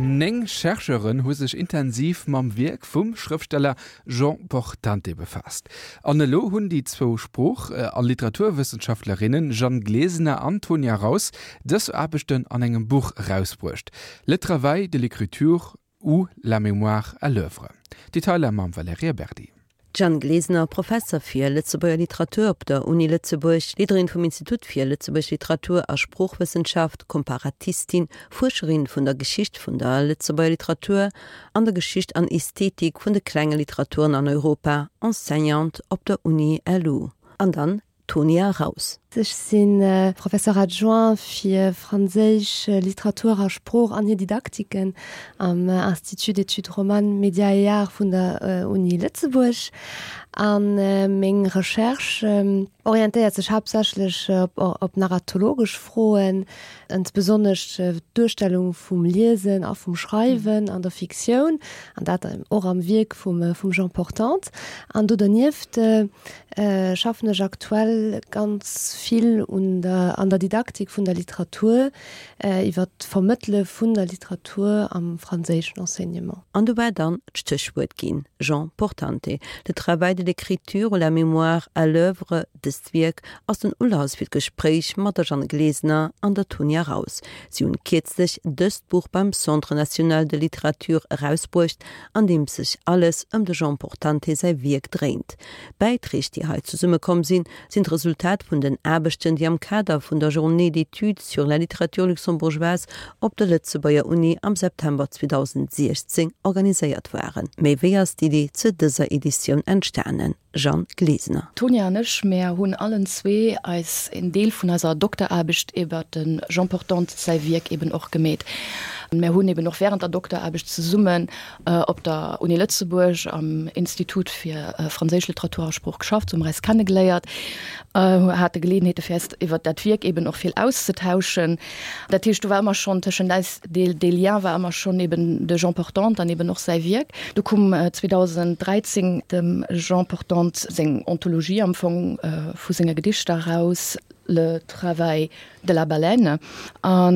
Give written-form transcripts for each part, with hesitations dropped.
9 Chercheuren hu sech intensiv mam Wierk vum Schrëftsteller Jean Portante befaasst. An elo hunn déi zwou Sprooch a Literaturwëssenschaftlerinnen Jeanne Glesener an Tonia Raus dës Aarbechten an engem Buch erausbruecht, Le travail de l'écriture ou la mémoire à l'oeuvre. Detailer mam Valerija Berdi. D'Jeanne Glesener, Professer fir Lëtzebuerger Literatur op der Uni Lëtzebuerg, Leaderin vum Institut fir Lëtzebuerg Literatur a Sproochwëssenschaft, Komparatistin, Fuerscherin vun der Geschicht vun der Lëtzebuerger Literatur an der Geschicht an Ästhetik vun de klenge Literaturen an Europa, Enseignante op der Uni LU. An dann Tonia Raus. Ech si Professeur adjoint fir franséisch Literatur a Sprooch an hir Didaktiken am Institut d'études romanes, médias et arts vun der Uni Lëtzebuerg. A meng Recherche orientéiert sech haaptsächlech op narratologesch Froen, insbesonnesch d'Duerstellung vum Liesen a vum Schreiwen an der Fiktioun, an dat och am Wierk vum Jean Portante. An do dernieft schaffen ech aktuell ganz vill un der an der Didaktik vun der Literatur, iwwer d'Vermëttele vun der Literatur am franséischen Enseignement. An do war dann d'Stéchwuert ginn, Jean Portante, Le travail de l'écriture ou la mémoire à l'oeuvre. Dëst Wierk ass den Ulass fir d'Gespréich mat der Jeanne Glesener an der Tonia Raus. Si hunn kierzlech dëst Buch beim Centre national de littérature erausbruecht, an deem sech alles ëm de Jean Portante säi Wierk dréint. D'Bäiträg, déi hei zesummekomm sinn, sinn d'Resultat vun den Aarbechten, déi am Kader vun der Journée d'études sur la littérature luxembourgeoise op der Lëtzebuerger Uni am September 2016 organiséiert waren. Méi wéi ass d'Iddi zu dëser Editioun entstanen? Jeanne Glesener. D'Tonia an ech, mär hunn allen zwee eis een Deel vun eiser Dokteraarbecht iwwer de Jean Portante säi Wierk eben och gemeet. Mär hunn eben och während der Dokteraarbecht zesummen op der Uni Lëtzebuerg am Institut fir franséisch Literatur a Sprooch geschafft, sou hu mer eis kennegeléiert, hate Geleeënheete fir eis iwwer dat Wierk eben och vill auszetauschen. Dat heescht, do war ëmmer schonn tëschent eis dee Lien war ëmmer schonn eben de Jean Portante an eben och säi Wierk. Du koum 2013 dem Jean Portante seng Anthologie am Fong vu senge Gedichter eraus, Le travail de la baleine. A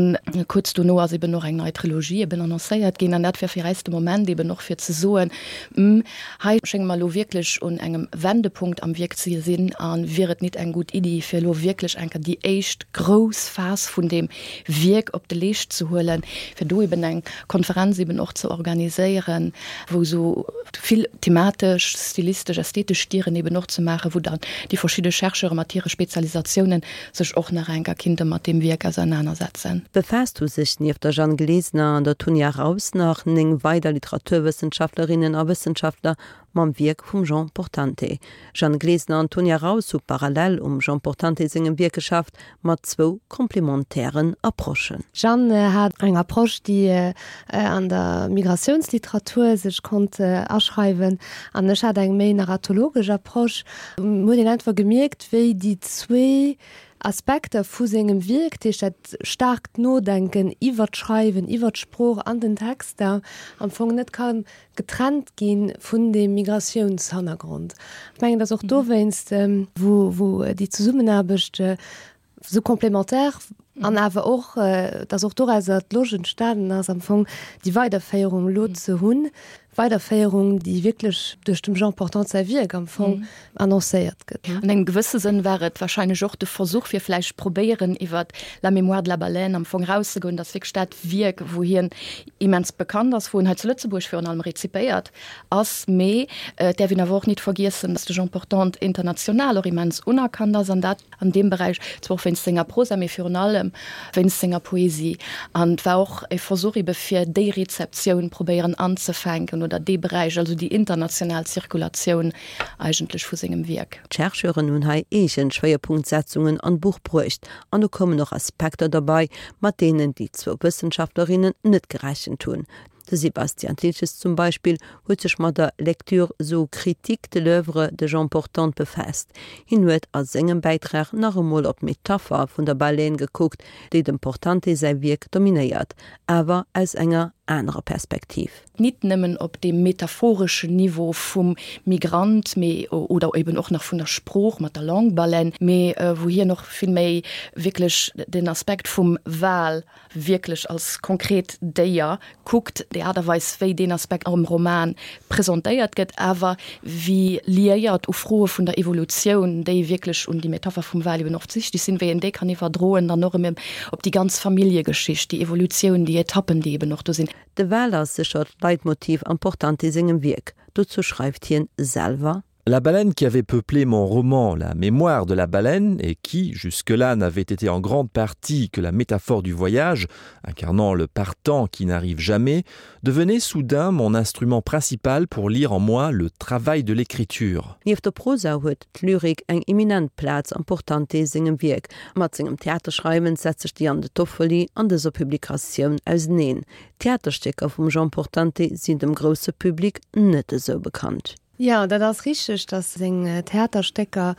kuerz dono ass eben och eng nei Trilogie eben annoncéiert ginn. An dat war fir äis de Moment eben och fir ze soen, Hm, hei schénge mer elo wierklech un engem Wendepunkt am Wierk ze sinn a wier et nit eng gutt Iddi, fir elo wierklech eng Kéier déi éischt grouss Phas vun deem Wierk op de Leescht ze huelen, fir do eben eng Konferenz eben och ze organiséieren, wou esou vill thematesch, stilistesch, ästhetesch Dieren eben och ze maachen, wou dann déi verschidde Chercheure mat hire Spezialisatiounen sech och nach enker kinnte mat deem Wierk ausernanersetzen. Befaasst hu sech nieft der Jeanne Glesener an der Tonia Raus nach 9 weider Literaturwëssenschaftlerinnen a Wëssenschaftler mam Wierk vum Jean Portante. Jeanne Glesener an Tonia Raus hu parallel um Jean Portante sengem Wierk geschafft, mat zwou complementairen Approchen. D'Jeanne hat eng Approche, déi an der Migratiounsliteratur sech konnt aschreiwen, an ech hat eng méi narratologesch Approche. Huet een einfach gemierkt, wéi déi zwee Aspekter vu sengem Wierk, dat heescht dat staarkt Nodenken iwwer d'Schreiwen, iwwer d'Sprooch an den Texter, am Fong net ka getrennt gi vun deem Migratiounshannergrond. Ech mengen, datt och dowéinst, wou déi Zesummenaarbecht esou complémentaire an awer och, datt och dorauser d'Loscht entstanen ass, am Fong déi Weiderféierung elo ze hunn, Weiderféierung, déi wierklech duerch dem Jean Portante säi Wierk am Fong annoncéiert gëtt. An engem gewësse Sënn war et wahrscheinlech och de Versuch, fir vläicht probéieren, iwwer La mémoire de la baleine am Fong erauszegoen, datt wierklech dat Wierk, wou hien immens bekannt ass, wou en hei zu Lëtzebuerg virun allem rezipéiert ass, mee et däerf een awer och nit vergiessen, datt de Jean Portante international och immens unerkannt ass an dat an deem Beräich, zwar och wéinst senger Prosa, mee virun allem wéinst senger Poesie. An et war och e Versuch ebe fir déi Rezeptioun probéieren anzefänken oder dee Beräich, also déi international Zirkulatioun eigentlech vu sengem Wierk. D'Chercheuren hunn hei eegen Schwéierpunktsetzungen an d'Buch bruecht an do koumen och Aspekter derbei, mat deenen déi zwou Wëssenschaftlerinnen net gerechent hunn. De Sebastian Thiltges zum Beispill huet sech mat der Lecture zoocritique de l'oeuvre de Jean Portante befaasst. Hien huet a sengem Bäitrag nach emol op d'Metapher vun der Baleine gekuckt, déi dem Portante säi Wierk dominéiert, awer aus enger. anerer Perspektiv. Nit nëmmen op deem metaphoreschen Niveau vum Migrant, mee, oder eben och nach vun der Sprooch mat der Langue baleine, mee wou hien och vill méi wierklech den Aspekt vum Wal wierklech als konkret Déier kuckt, déi Aart a Weis, wéi deen Aspekt am Roman presentéiert gëtt, awer wéi liéiert u Froe vun der Evolutioun, déi wierklech un déi Metapher vum Wal eben och wichteg sinn, wéi een déi kann iwwerdroen dann och erëm op déi ganz Familljegeschicht, déi Evolutioun, déi Etappen, déi eben och do sinn. De Wal ass sécher d'Leitmotiv am Portante sengem Wierk. Dozou schreift hien selwer. La baleine qui avait peuplé mon roman La mémoire de la baleine et qui, jusque-là, n'avait été en grande partie que la métaphore du voyage, incarnant le partant qui n'arrive jamais, devenait soudain mon instrument principal pour lire en moi le travail de l'écriture. Nieft der Prosa huet d'Lyrik eng eminent Plaz am Portante sengem Wierk. Mat sengem Theaterschreiwen setzt sech de Jan De Toffoli an dëser Publikatioun auseneen. D'Theaterstécker vum Jean Portante sinn dem grousse Public net esou bekannt. Jo, dat ass richteg, datt seng Theaterstécker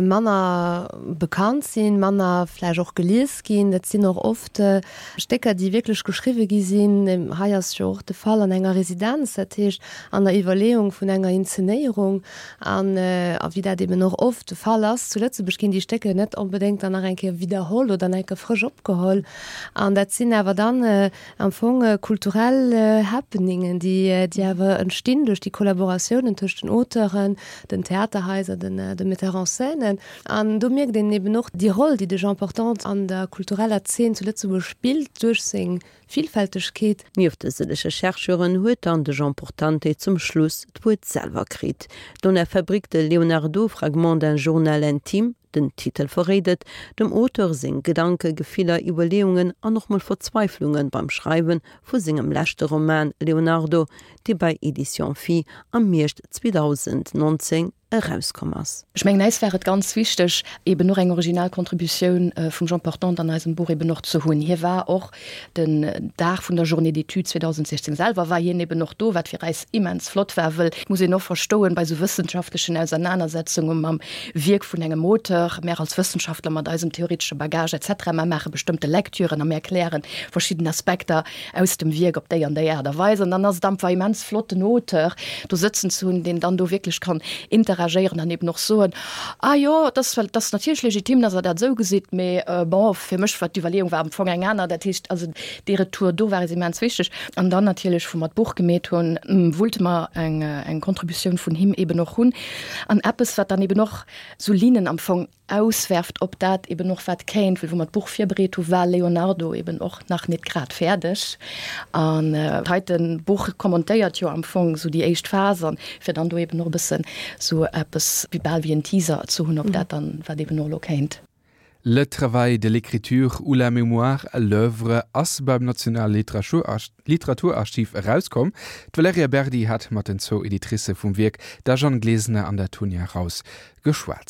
manner bekannt sinn, manner vläicht och gelies ginn. Dat sinn och oft Stécker, déi wierklech geschriwwe gi sinn. Hei ass jo och de Fall an enger Residenz, dat heescht an der Iwwerleeung vun enger Inzenéierung. An wéi dat eben och oft de Fall ass zu Lëtzebuerg, ginn déi Stécker net onbedéngt dann nach eng Kéier widderholl oder nach eng Kéier frësch opgeholl. An dat sinn awer dann Am Fong kulturell Happeningen, déi awer entstinn duerch déi Kollaboratiounen tëscht den Auteuren, den Theaterhaiser, de Metteurs en scène. An do mierkt een eben och déi Roll, déi de Jean Portante an der kultureller Zeen zu Lëtzebuerg spillt, duerch seng Villfältegkeet. Nieft de sëllege Chercheuren huet dann de Jean Portante zum Schluss d'Wuert selwer kritt. Dans la fabrique de Leonardo, fragments d'un journal intime, Den Titel verréit et, dem Auteur seng Gedanken, Gefiller, Iwwerleeungen an och mol Verzweiflunge beim Schreiwe vu sengem leschte Roman Leonardo, dee bei Editions Phi am Hierscht 2019 erauskomm ass. Ech mengen, äis war et ganz wichteg, eben och eng original Contributioun vum Jean Portante an eisem Buch eben och ze hunn. Hie war och Den Dag vun der Journée d'études 2016 selwer war hien eben och do, wat fir eis immens flott war, wëll, muss een och verstoen, bei esou wëssenschaftlechen Ausernanersetzunge mam Wierk vun engem Auteur, mär als Wëssenschaftler mat eisem theoretesche Bagage et cetera, mär maache bestëmmte Lecturen a mär erklären verschidden Aspekter aus dem Wierk op déi an déi Aart a Weis. An dann ass et einfach immens flott, den Auteur do sëtzen ze hunn, deen dann do wierklech kann interagéieren an eben och soen, Ah jo, et ass, et ass natierlech legitim, dass Der dat esou gesitt, mee bon, fir mech war d'Iwwerleeung war am Fong eng aner. Dat heescht also, dee Retour do war eis immens wichteg. An dann natierlech, wou mer d'Buch gemeet hunn, wollte mer eng, eng Contributioun vun him eeben och hunn. An eppes, wat dann eeben och esou Linnen am Fong auswerft op dat eeben och, wat kéint, well wou mer d'Buch virbereet hu war Leonardo eeben och nach net grad fäerdeg. An dat heite Buch commentéiert jo am Fong esou déi éischt Phas an fir dann do eeben och e bëssen esou eppes wéi bal wéi en Teaser ze hunn op dat dann, wat eeben och elo kéint. Le travail de l'écriture ou la mémoire à l'œuvre ass beim Nationale Literaturarchiv erauskomm. D'Valerija Berdi hat mat den zwou Editricë vum Wierk, der Jeanne Glesener an der Tonia Raus, geschwat.